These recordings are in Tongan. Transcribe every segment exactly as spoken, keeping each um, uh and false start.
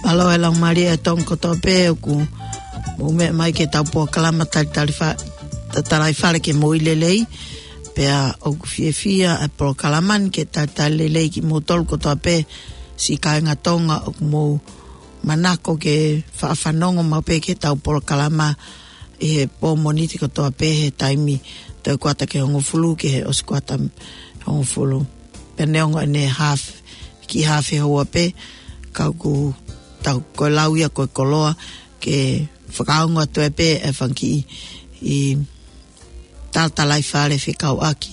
Mālō e laumālie ʻa e Tonga kotoa pē ʻoku mou meʻa mai ki heʻetau polokalama talitali fa-, ta-, talaifale ke moʻui lelei. Pea ʻoku fiefia e polokalama ni ke talitali lelei kimoutolu kotoa pē siʻi kāinga Tonga ʻoku mou manako ke faʻa fanongo maʻu pē ki heʻetau polokalama ʻi he pō Mōnite kotoa pē he taimi toe kuata ki he hongofulu ki he ʻosi kuata hongofulu. Pea neongo ʻene haafe, kiʻi haafe houa pē, ka ʻoku tau ko e lau ia ko e koloa ke fakaongo atu ai pē e fanga kiʻi talaifale fekauʻaki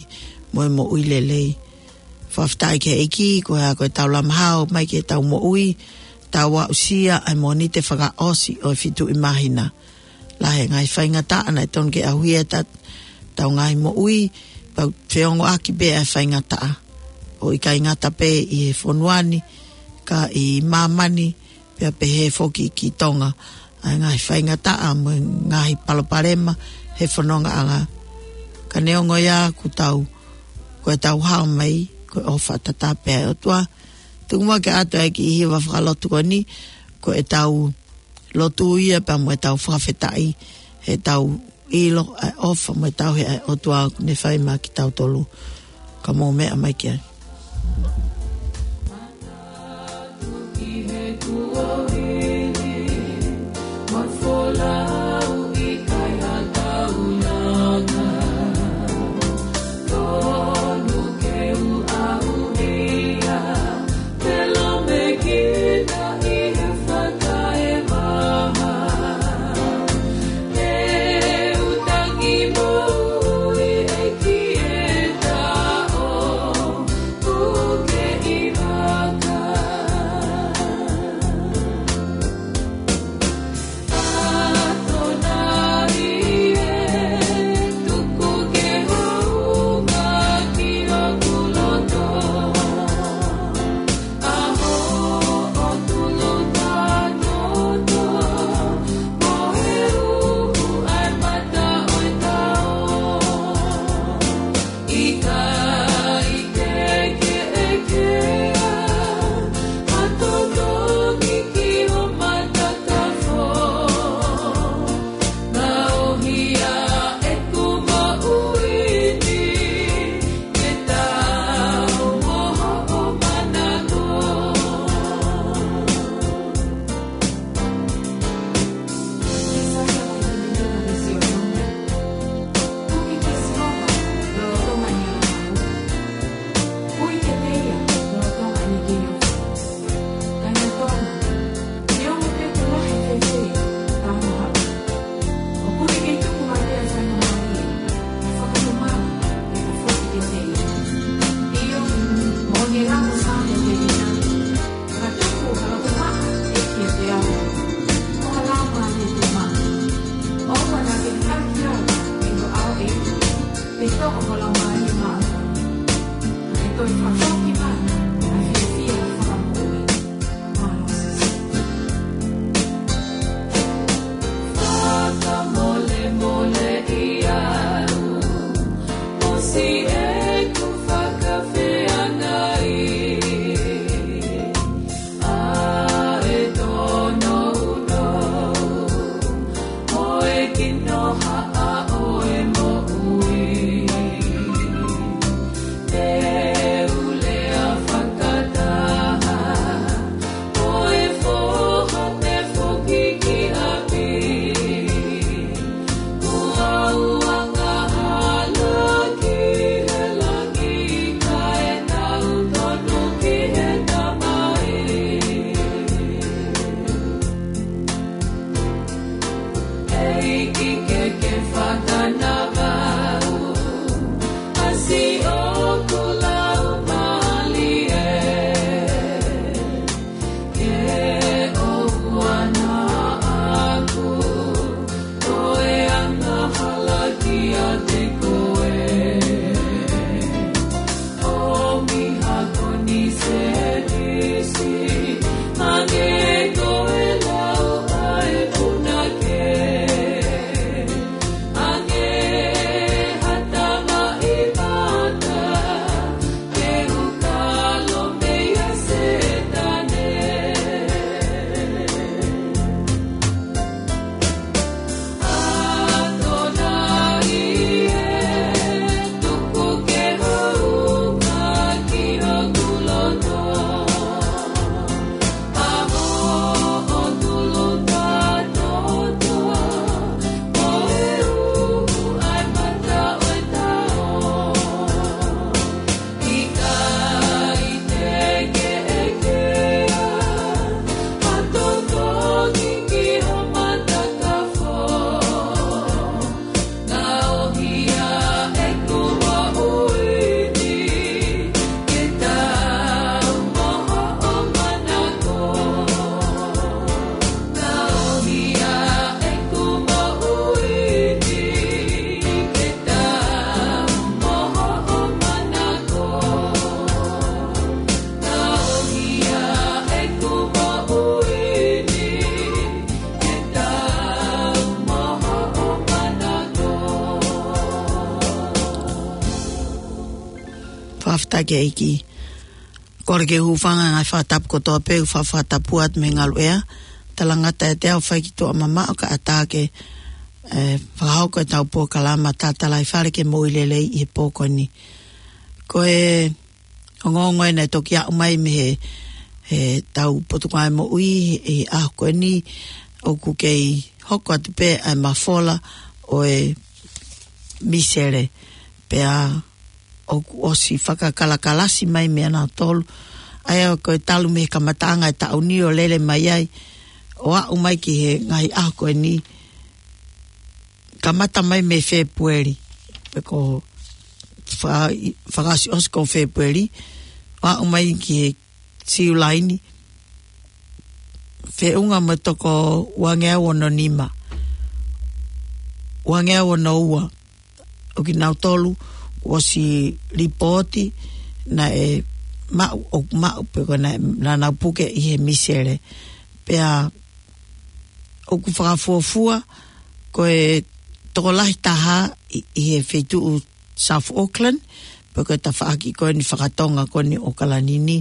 mo e moʻui lelei. Fakafetaʻi ki he ʻEiki, ko e hā ko ʻetau lama hao mai ki heʻetau moʻui, tau aʻusia ʻa e Mōnite fakaʻosi ʻo e fitu ʻi māhina. Lahi e ngaahi faingataʻa naʻe tonu ke ʻauhia ʻetau ngaahi moʻui, pea ʻoku feongoʻaki pē ʻa e faingataʻa. ʻOku ʻikai ngata pē ʻi he fonua ni, ka ʻi māmani, pea pehē foki ki Tonga, ʻa e ngaahi faingataʻa mo e ngaahi palopalema he fonongaʻanga. Ka neongo ia ʻoku tau, ko ʻetau hao mai, ko e ʻofa tatau pē ʻa e ʻOtua. Tuku muʻa ke ʻoatu ʻa e kiʻi hiva fakalotu ko eni, ko ʻetau lotu ia pea mo ʻetau fakafetaʻi, heʻetau ʻilo ʻa e ʻofa mo e tauhi ʻa e ʻOtua ʻoku ne fai maʻa kitautolu. Ka mou meʻa mai ki ai. Taki ʻEiki. Kole ke u hūfanga he ngaahi fakatapu kotoa pē, ʻoku fakatapu atu mei he ngaluʻea. Talangata ʻiate au ʻoku fai ki tuʻa mamaʻo kae ʻatā ke, eh, fakahoko ʻetau polokalama Tatalaifale ki he Moʻui Lelei ʻi he pō ko eni. Ko e ongoongo ē naʻe toki aʻu mai mei he, he tau Potungāue Moʻui he ʻaho ko eni, ʻoku kei hoko atu pē ʻa e mafola ʻo e misele. Pea ʻoku ʻosi fakakalakalasi mai meia nautolu. ʻA ia ko e talu mei he kamataʻanga e taʻu ni ʻo lele mai ai, ʻo aʻu mai ki he ngaahi ʻaho ko eni, kamata mai mei Fēpueli, pe ko fa-, fakaʻosiʻosi ko Fēpueli, ʻo aʻu mai ki he Siulai ni, feʻunga mo e toko uangeau ono nima, uangeau ono ua ʻo kinautolu kuo ʻosi lipooti naʻe maʻu, ʻoku maʻu pe ko e naʻe, naʻa nau puke ʻi he misele. Pea ʻoku fakafuofua ko e tokolahi taha ʻi, ʻi he feituʻu South Auckland, pe ko e tafaʻaki ko eni fakatonga ko eni ʻo ʻAokalani ni,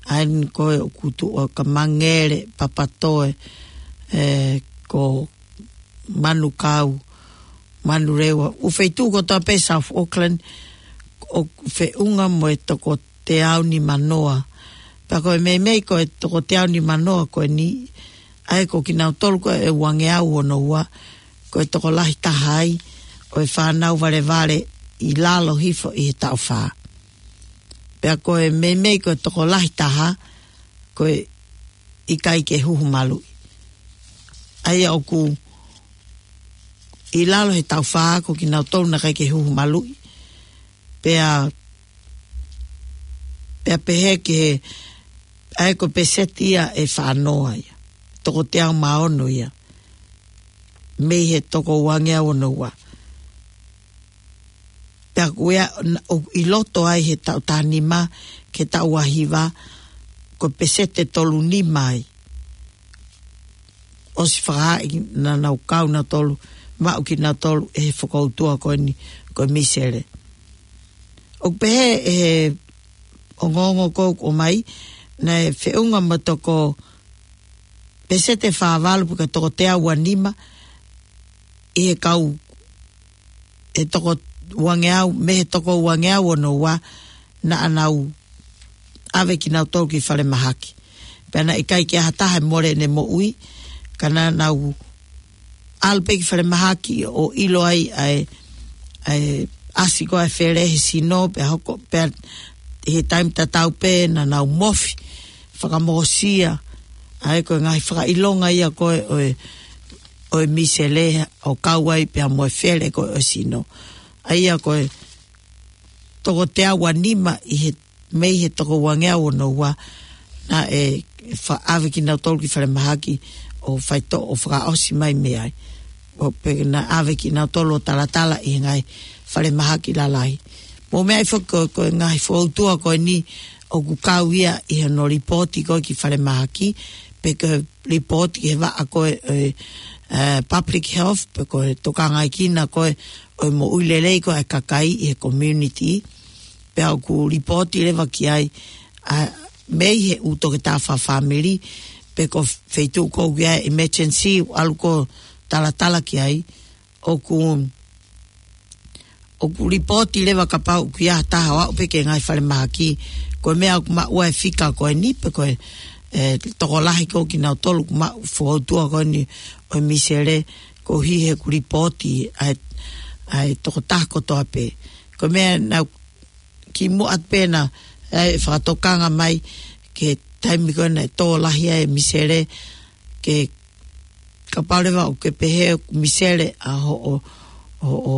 ʻa eni ko ē ʻoku tuʻu ʻa Kamangele, Papatoe, eh, ko Manukau, Manurewa, ʻū feituʻu kotoa pē South Auckland, ʻoku feʻunga mo e toko teau nimanoa. Pea ko e meimei ko e toko teau nimanoa ko eni, ʻa ia ko kinautolu ko e uangeau ono ua, ko e tokolahi taha ai ʻo e fānau valevale ʻi lalo hifo ʻi he taʻu fā. Pea ko e meimei ko e tokolahi taha, ko e ʻikai ke huhu maluʻi. ʻA ia ʻoku ʻi lalo he taʻu fā ko kinautolu naʻe ʻikai ke huhu maluʻi. Pea, pea pehē ki he, ʻa ia ko e peseti ia ʻe fā noa ia. Toko teau mā ono ia. Mei he toko uangeau ono ua. Pea ko ia, ʻo, ʻi loto ai he taʻu taha nima ki he taʻu ua hiva, ko e peseti ʻe tolu nima ai. ʻOsi fakahā naʻa nau kau nautolu, maʻu kinautolu ʻe he fokoutua ko eni, ko e misele. ʻOku pehē ʻe he ongoongo ko ē ʻoku ʻomai, naʻe feʻunga mo e toko peseti ʻe fā valu pe ko e toko teau ua nima, ʻi he kau, he toko uangeau, mei he toko uangeau ono ua, naʻa nau ʻave kinautolu ki falemahaki. Pea naʻe ʻikai ke ʻi ai ha taha ʻe mole ʻene moʻui, ka naʻa nau ʻalu pē ki falemahaki ʻo ʻilo ai ʻa e, ʻa e ʻasi ko ē ʻa e fele he sino, pea hoko, pea he taimi tatau pē naʻa nau mofi, fakamosia, ʻa ia ko e ngaahi fakaʻilonga ia ko ē ʻo e, ʻo e misele ʻo kau ai pea mo e fele ko ē ʻo e sino. ʻA ia ko e toko teau ua nima ʻi he, mei he toko uangeau ono ua, naʻe fa-, ʻave kinautolu ki falemahaki ʻo faitoʻo ʻo fakaʻosi mai mei ai. ʻO pea naʻe ʻave kinautolu ʻo talatala ʻi he ngaahi falemahaki lalahi. Mou meaʻi foki ko, ko e ngaahi fokoutua ko eni ʻoku kau ia ʻi hono lipooti ko ē ki falemahaki, pe ko e lipooti ki he vaʻa ko ē, ē, ē, public health, pe ko e tokangaekina ko ē ʻo e moʻui lelei ko ē ʻa e kakai ʻi he community, pea ʻoku lipooti leva ki ai, ʻa, mei he ʻū toketā fakafāmili, pe ko e feituʻu ko ē ʻoku ʻi ai e emergency, ʻalu ʻo talatala ki ai, ʻoku, ʻoku lipooti leva kapau ʻoku ʻi ai ha taha ʻo aʻu pē ki he ngaahi falemahaki, ko e meʻa ʻoku maʻu ai e fika ko eni, pe ko e, ē, tokolahi ko ē kinautolu ʻoku maʻu fokoutua ko eni ʻo e misele, koeʻuhi he ʻoku lipooti ʻa e, ʻa e tokotaha kotoa pē. Ko e meʻa naʻa ku kimuʻa pē naʻe fakatokanga mai ki he taimi ko ē naʻe tō lahi ai e misele, ke kapau leva ʻoku ke pehē ʻoku misele ʻa hoʻo, hoʻo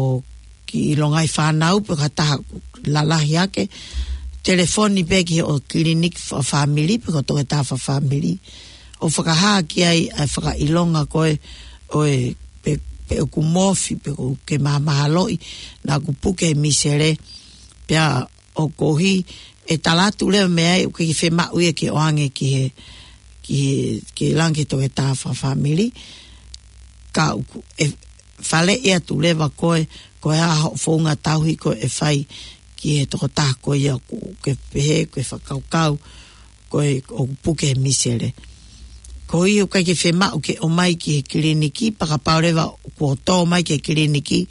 kiʻi longaʻi fānau pe ko ha taha lalahi hake, telefoni pē ki hoʻo kiliniki fakafāmili pe ko e toketā fakafāmili, ʻo fakahā ki ai ʻa e fakaʻilonga ko ē ʻo e pe, pe ʻoku mofi, pe ʻoku ke mahamahaloʻi naʻa ku puke he misele, pea ʻoku ʻi ai e tala atu leva mei ai ʻoku ʻikai ke fiemaʻu ia ke ʻoange ki he, ki he, ke langa ki he toketā fakafāmili. Ka ʻoku, ʻe faleʻi atu leva koe, ko e hā hoʻo founga tauhi ko ē ʻe fai ki he tokotaha ko ia ʻoku ke pehē, ko e fakakaukau, ko e ʻoku puke he misele. Ko ia ʻoku ʻikai ke fiemaʻu ke ʻomai ki he kiliniki, pea kapau leva kuo tō mai ki he kiliniki,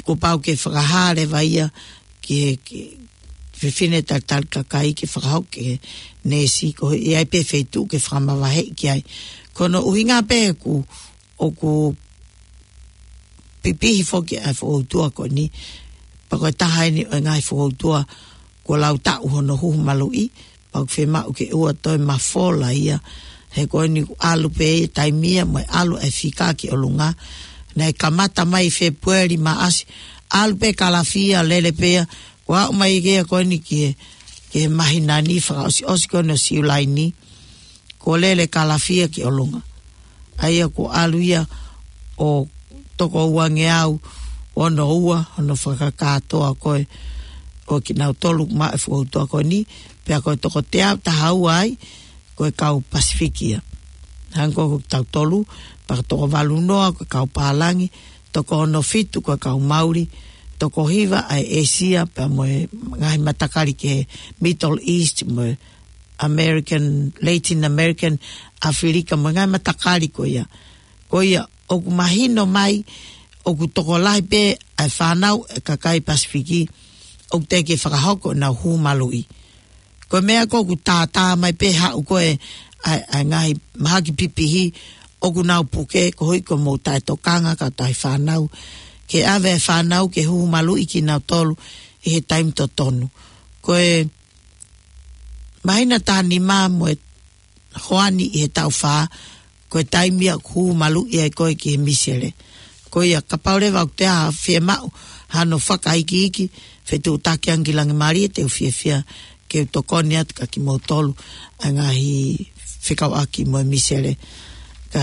kuo pau ke fakahā leva ia ki he, ki he fefine talitali kakai ke fakahoko ki he neesi, ko ia ai pē feituʻu ke fakamavaheʻi ki ai. Ko hono ʻuhinga pē ʻoku, ʻoku pipihi foki ʻa e fokoutua ko eni, pea ko e taha eni ʻo e ngaahi fokoutua kuo lau taʻu hono huhu maluʻi, pea ʻoku fiemaʻu ke ʻoua toe mafola ia, he ko eni ʻoku ʻalu pē ia taimi ia mo e ʻalu e fika ki ʻolunga. Naʻe kamata mai Fēpueli, Maʻasi, ʻalu pē Kalafia, lele pē ia, kuo aʻu mai ke ia ko eni ki he, ki he māhina ni fakaʻosiʻosi ko eni ʻo Siulai ni, kuo lele Kalafia ki ʻolunga. ʻA ia kuo ʻalu ia ʻo toko uangeau ono ua, hono fakakātoa ko ē ʻo kinautolu maʻa e fokoutua ko eni, pea ko e toko teau taha ua ai, ko e kau Pasifiki ia. Hangē ko kitautolu, pea toko valu noa ko e kau Pālangi, toko ono fitu ko e kau Mauli, toko hiva ʻa e ʻĒsia, pea mo e ngaahi matakali ki he Middle East, mo e American, Latin American, ʻAfilika, mo e ngaahi matakali ko ia. Ko ia, ʻoku mahino mai, ʻoku tokolahi pē ʻa e fānau e kakai Pasifiki, ʻoku teʻeki fakahoko ʻenau huhu maluʻi. Ko e meʻa ko ē ʻoku tātā mai pē haʻu ko ē ʻa e, ʻa e ngaahi mahaki pipihi, ʻoku nau puke, koeʻuhi ko hoʻomou taʻetokanga kae ʻatā e fānau, ke ʻave e fānau ke huhu maluʻi kinautolu ʻi he taimi totonu. Ko e māhina taha nima mo e hoani ʻi he taʻu fā, ko e taimi ia ʻoku huhu maluʻi ai koe ki he misele. Ko ia kapau leva ʻoku toe fiemaʻu hano fakaikiiki, fetuʻutaki ange ki Langimalie, te u fiefia ke u tokoni atu kia kimoutolu ʻa e ngaahi fekauʻaki mo e misele. Ka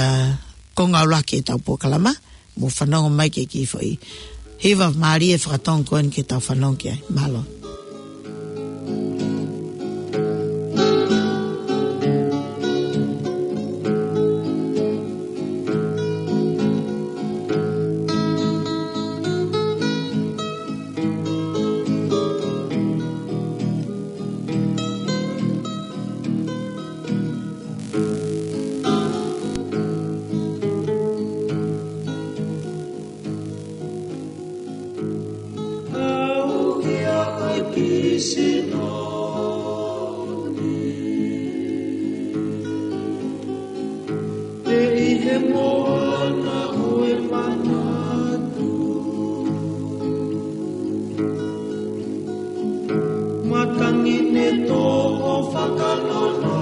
ko e ngāue ki heʻetau polokalama, mou fanongo mai ki he kiʻi foʻi hiva mālie fakatonga ko eni ke tau fanongo ki ai. Mālō. ʻE ʻi he moana ʻo e manatu, matangi ne toʻo fakanonga.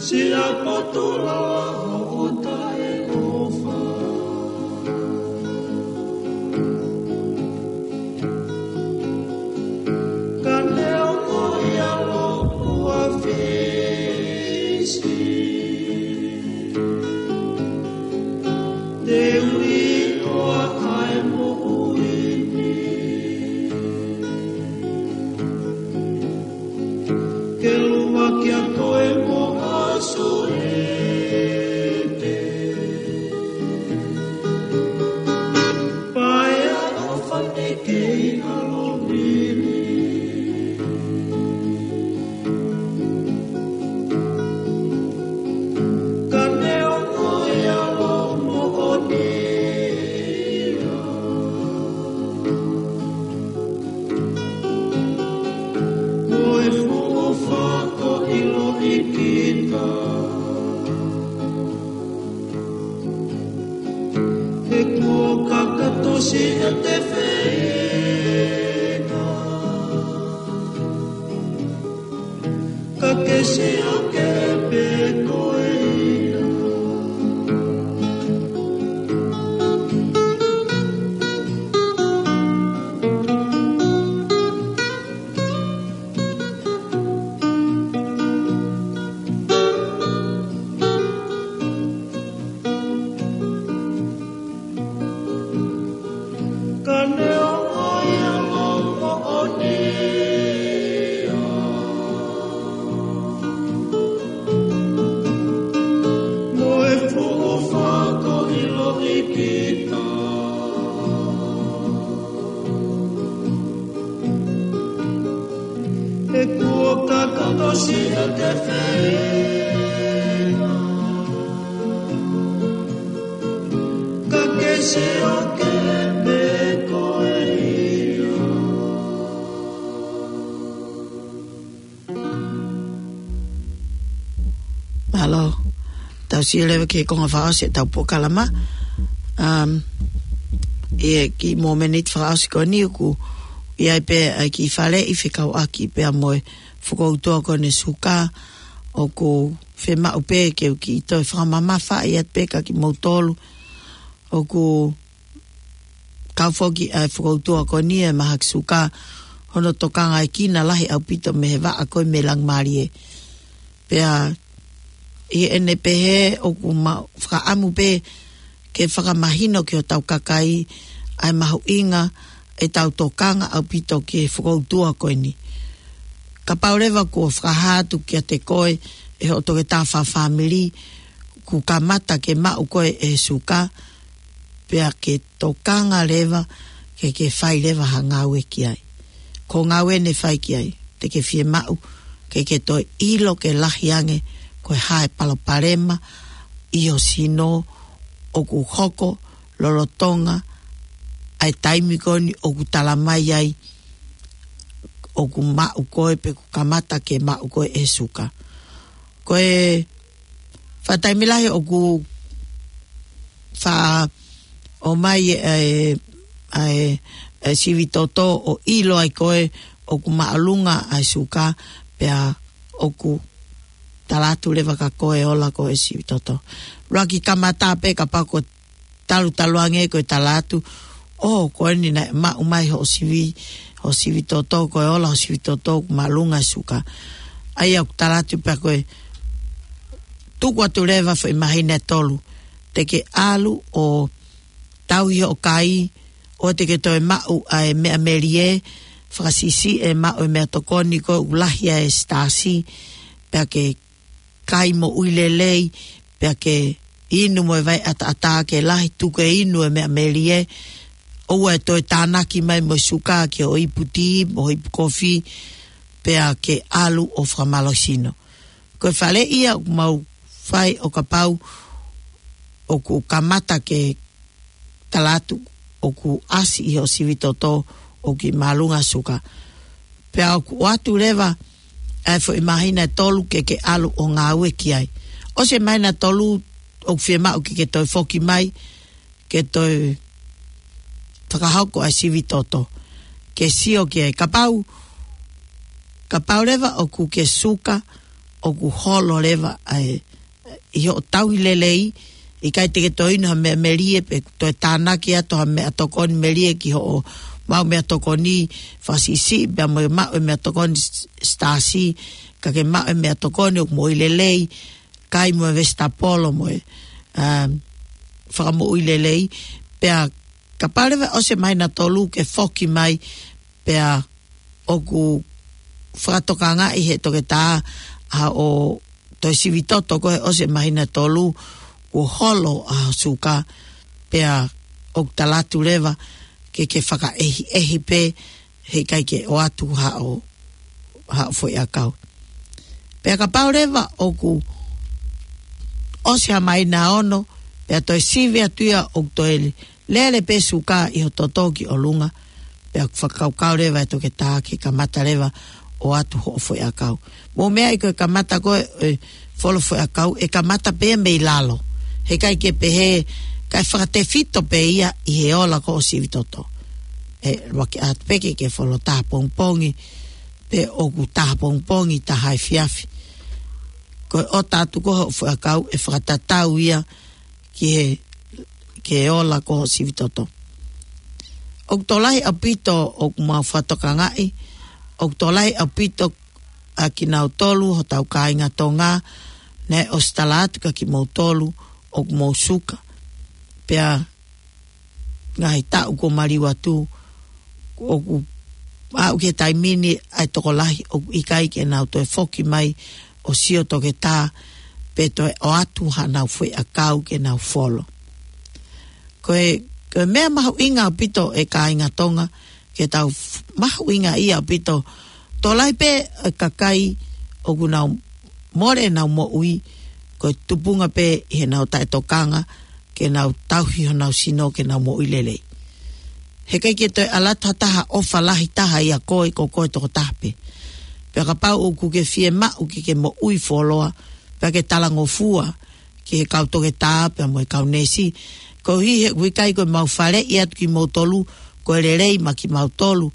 Siʻa patola ʻo taʻeʻofa. Ka neongo ia lopua Fisi, te u ʻiloa ʻa e moʻui ni. Ke lua kia koe mo ʻAsolete. Paea ʻo fane kei ʻalo mili. Ka neongo e ʻalo moʻoni ia. Ko e fuʻu fako ʻilo ʻikita. He kuo kakato siʻete feinga. Ka ke sio ke pē ko ia. Ka neongo ia ʻa e moʻoni ia. Ka ka tosi a te fei. Ka ke sio ke pe ko e io. Mālō. Tau sio leva ki he konga fakaʻosi ʻetau polokalama. Um, ʻi he kiʻi momeniti fakaʻosi ko eni ʻoku ʻi ai pē ʻa e kiʻi faleʻi fekauʻaki pea mo e fokoutua ko eni e suka, ʻoku fiemaʻu pē ke u kiʻi toe fakamamafaʻi atu pē kia kimoutolu. ʻOku kau foki ʻa e fokoutua ko eni e mahaki suka, hono tokangaekina lahi ʻaupito mei he vaʻa ko ē mei Langimālie. Pea ʻi heʻene pehē ʻoku ma-, fakaʻamu pē ke fakamahino ki hotau kakai ʻa e mahuʻinga ʻetau tokanga ʻaupito ki he fokoutua ko eni. Kapau leva kuo fakahā atu kiate koe ʻe hoʻo toketā fakafāmili kuo kamata ke maʻu koe e suka, pea ke tokanga leva ke ke fai leva ha ngāue ki ai. Ko e ngāue ʻe fai ki ai, te ke fiemaʻu ke ke toe ʻilo ke lahi ange ko e hā e palopalema ʻi ho sino ʻoku hoko lolotonga ʻa e taimi ko eni ʻoku tala mai ai ʻoku maʻu koe pe kuo kamata ke maʻu koe e suka. Ko e faʻa taimi lahi ʻoku faʻa ʻomai e, e, e, e sivi toto ʻo ʻilo ai koe ʻoku māʻolunga ʻa e suka, pea ʻoku tala atu leva kia koe ʻe ola koe e sivi toto. Lava ke kamata pē kapau ko e talutalu ange ko e tala atu, ʻō, ko eni naʻe maʻu mai hoʻo sivi, hoʻo sivi toto, ko e ola hoʻo sivi toto ʻoku māʻolunga e suka. ʻA ia ʻoku tala atu pē ko e tuku atu leva foʻi māhina ʻe tolu, te ke ʻalu ʻo tauhi hoʻo kai, ʻoua te ke toe maʻu ʻa e meʻa melie, fakasiʻisiʻi e maʻu e meʻatokoni ko ē ʻoku lahi ai e sitaasi, pea ke kai moʻui lelei, pea ke inu mo e vai ʻataʻatā ke lahi, tuku e inu e meʻa melie, ʻoua ʻe toe tānaki mai mo e suka ki hoʻo ipu tī, mo hoʻo ipu kofi, pea ke ʻalu ʻo fakamālohisino. Ko e faleʻi ia ʻoku mau fai ʻo kapau ʻoku kamata ke tala atu ʻoku ʻasi ʻi hoʻo sivi toto ʻoku kiʻi māʻolunga suka. Pea ʻoku ʻoatu leva ʻa e foʻi māhina ʻe tolu ke ke ʻalu ʻo ngāue ki ai. ʻOsi e māhina ʻe tolu ʻoku fiemaʻu ke ke toe foki mai, ke toe fakahoko ʻa e sivi toto. Ke sio ki ai kapau, kapau leva ʻoku ke suka, ʻoku holo leva ʻa e ʻi hoʻo tauhi lelei, ʻikai te ke toe inu ha meʻa melie pe toe tānaki atu ha meʻatokoni melie ki hoʻo maʻu meʻatokoni fakasiʻisiʻi, pea mo e maʻu e meʻatokoni s-, sitaasi, ka ke maʻu e meʻatokoni ʻoku moʻui lelei, kai mo e vesitapolo mo e, um, fakamoʻui lelei, pea kapau leva ʻosi e māhina ʻe tolu ke foki mai, pea ʻoku fakatokangaʻi he toketā ʻa hoʻo toe sivi toto ko ē ʻosi e māhina ʻe tolu kuo holo ʻa hoʻo suka, pea ʻoku tala atu leva ke ke fakaʻehiʻehi pē heʻikai ke ʻoatu haʻo, haʻo foʻi ʻakau. Pea kapau leva ʻoku ʻosi ha māhina ʻe ono, pea toe sivi atu ia ʻoku toe lele pē suka ʻi ho toto ki ʻolunga, pea fakakaukau leva e toketā ke kamata leva ʻoatu hoʻo foʻi ʻakau. Mou meaʻi ko e kamata ko ē e folo foʻi ʻakau, ʻe kamata pē mei lalo. Heʻikai ke pehē, kae fakatefito pē ia ʻi he ola ko ē hoʻo sivi toto. ʻE lava ke ʻoatu pē ke ke folo taha pongipongi, pe ʻoku taha pongipongi, taha efiafi. Ko e ʻota atu ko ē hoʻo foʻi ʻakau ʻe fakatatau ia ki he, ki he ola ko ē hoʻo sivi toto. ʻOku tokolahi ʻaupito ʻoku mau fakatokangaʻi, ʻoku tokolahi ʻaupito ʻa kinautolu hotau kāinga Tonga, naʻe ʻosi tala atu kia kimoutolu ʻoku mou suka. Pea ngaahi taʻu kuo maliu atu, ʻoku aʻu ki he taimi ni ʻa e tokolahi ʻoku ʻikai ke nau toe foki mai ʻo sio toketā, pe toe ʻoatu haʻanau foʻi ʻakau ke nau folo. Ko e, ko e meʻa mahuʻinga ʻaupito e kāinga Tonga, ke tau f-, mahuʻingaʻia ʻaupito Tokolahi pē ʻa e kakai ʻoku nau mole ʻenau moʻui, ko e tupunga pē ʻi heʻenau taʻetokanga ke nau tauhi honau sino ke nau moʻui lelei. He ʻikai ke toe ʻalu atu ha taha ʻofa lahi taha ia koe, ko koe tokotaha pē. Pea kapau ʻoku ke fiemaʻu ke ke moʻui fuoloa, pea ke talangofua ki he kau toketā pea mo e kau neesi, koeʻuhi he ʻoku ʻikai ko ʻemau faleʻi atu kimoutolu ko e lelei maʻa kimautolu.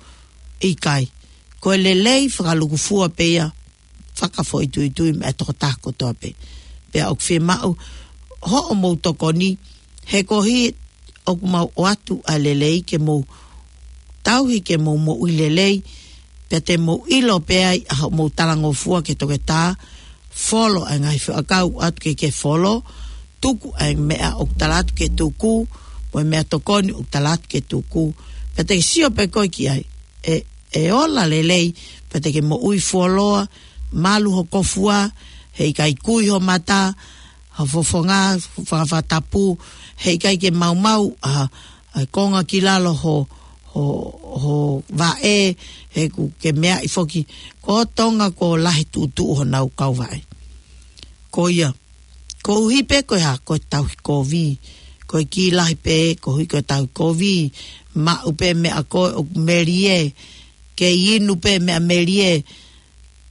ʻIkai. Ko e lelei fakalukufua pē ia, fakafoʻituitui maʻa e tokotaha kotoa pē. Pea ʻoku fiemaʻu hoʻomou tokoni, he koeʻuhi ʻoku mau ʻoatu ʻa e lelei ke mou tauhi ke mou moʻui lelei, pea te mou ʻilo pē ai ʻa hoʻomou talangofua ki he toketā, folo ʻa e ngaahi feʻauakau ʻoku ʻatu ke ke folo, tuku ʻa e meʻa ʻoku tala atu ke tuku, mo e meʻatokoni ʻoku tala atu ke tuku, pea te ke sio pē koe ki ai, ʻe, ʻe ola lelei, pea te ke moʻui fuoloa, malu ho kofua, heʻikai kui ho mata, ho fofonga, fafatapu, heʻikai ke maumau ʻa, ʻa e konga ki lalo ho, ho, ho vaʻe, he ʻoku ke meaʻi foki, ko Tonga kuo lahi tuʻutuʻu honau kau vaʻe. Ko ia, koeʻuhi pē ko e hā, ko e tauhi kovi, ko e kiʻi lahi pē, koeʻuhi ko e tauhi kovi, maʻu pē meʻa ko ē ʻoku melie, kei inu pē meʻa melie,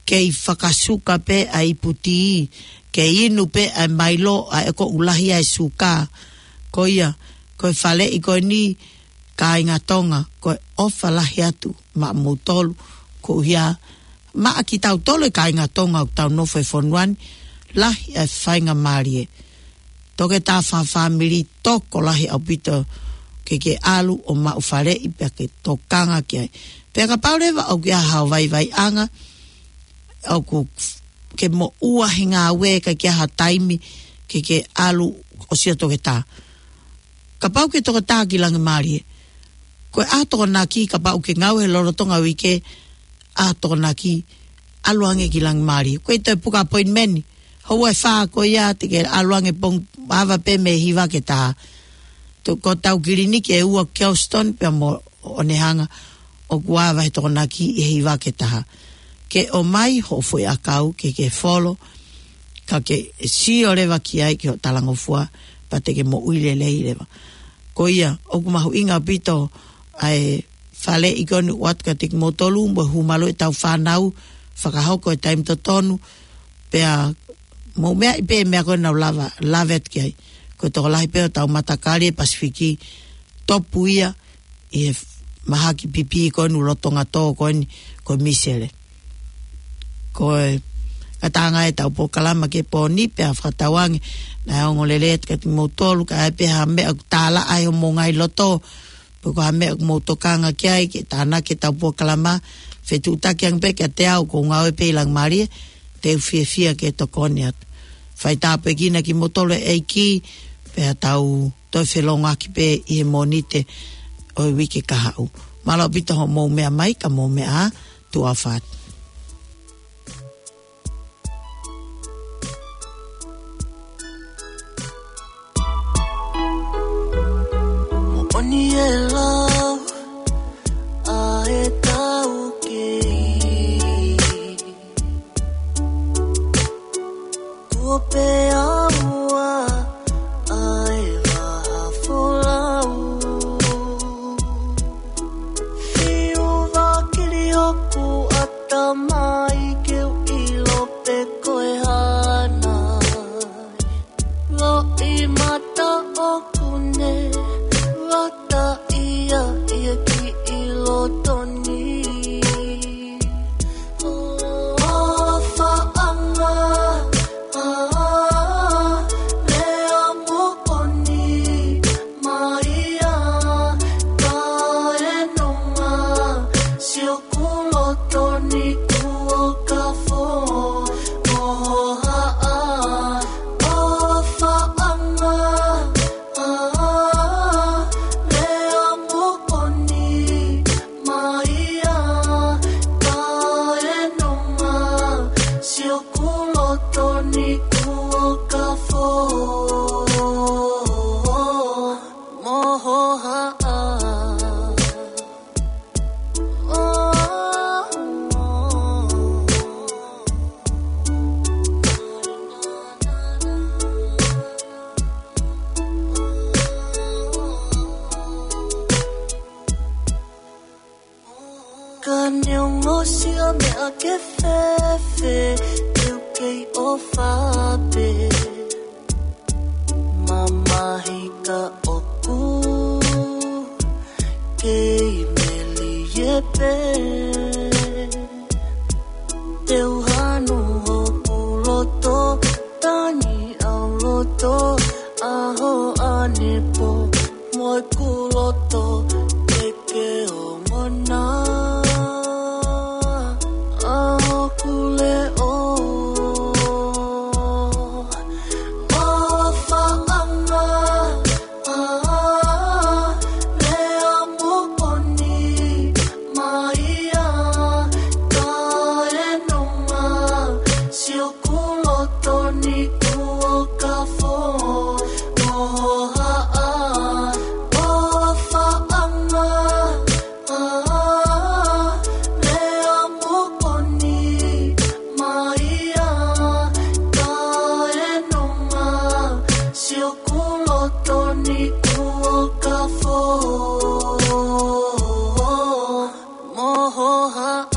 kei fakasuka pē ʻa e ipu tī, kei inu pē ʻa e Milo ʻa ē ʻoku lahi ai e suka. Ko ia, ko e faleʻi ko eni, kāinga Tonga, ko e ʻofa lahi atu maʻamoutolu, koeʻuhi maʻa kitautolu e kāinga Tonga ʻoku tau nofo he fonua ni, lahi e faingamālie. Toketā fakafāmili tokolahi ʻaupito ke ke ʻalu ʻo maʻu faleʻi pea ke tokanga ki ai. Pea kapau leva ʻoku ʻi ai haʻo vaivaiʻanga, ʻoku ke moʻua he ngāue, ʻikai ke ʻi ai ha taimi ke ke ʻalu ʻo sio toketā. Kapau ke toketā ki Langimālie, ko e ʻaho Tokonaki, kapau ke ngāue he lolotonga uike, ʻaho Tokonaki, ʻalu ange ki Langimālie. Ko e toe puka appointment, houa ʻe fā ko ia te ke ʻalu ange pongipongi, ava pē mei he hiva ki he taha. Ko hotau kiliniki ʻe ua Kelston pea mo ʻOnehunga, ʻoku ava he Tokonaki ʻi he hiva ki he taha. Ke ʻomai hoʻo foʻi ʻakau ke ke folo, ka ke sio leva ki ai ki hoʻo talangofua, pea te ke moʻui lelei leva. Ko ia, ʻoku mahuʻinga ʻaupito ʻa e faleʻi ko eni ʻoku ʻoatu kiate kimoutolu, mo e hū malu ʻetau fānau, fakahoko he taimi totonu, pea mou meaʻi pē e meʻa ko ē naʻa ku lave, lave atu ki ai. Ko e tokolahi pē hotau matakali he Pasifiki, topu ia ʻi he mahaki pipī ko eni lolotonga tō ko eni, ko e misele. Ko e ngataʻanga ʻetau polokalama ki he pō ni, pea fakatauange naʻe ongo lelei atu kiate kimoutolu, ka ʻi ai pē ha meʻa ʻoku tālaʻa ai homou ngaahi loto, pe ko ha meʻa ʻoku mou tokanga ki ai, ke tānaki ʻetau polokalama, fetuʻutaki ange pē kiate au, ʻoku ou ngāue pē ʻi Langimālie, te u fiefia ke tokoni atu. Fai tāpuekina kimoutolu ʻe he ʻEiki, pea tau toe felōngoaki pē ʻi he Mōnite ʻo e uike kahaʻu. Mālō ʻaupito hoʻomou meʻa mai, ka mou meʻa ā, tuʻa ʻofa atu. Moʻoni e lau ʻa e taukei. Kuo pea ua ʻa e vaha folau. Fiu vakili hoku ʻatamai ke u ʻilo pe ko e hā nai. Loʻimata ʻoku ne vata ia Ka neongo siʻa meʻa ke fēfē, te u kei ʻofa pē. Mamahi ka ʻoku kei melie pē. Te u hanu hoku loto, tangi ʻa loto, ʻaho ʻanepo, mo ʻeku loto, ke ke ongona. ʻA hoku leʻo, ʻofaʻanga, ʻa, lea moʻoni, mai ia, kae nonga, sio kuo loto ni kuo kafo, ʻohohaʻa, ʻofaʻanga, ʻa, lea moʻoni, mai ia, kae nonga, sio kuo loto ni kuo kafo, ʻohohaʻa.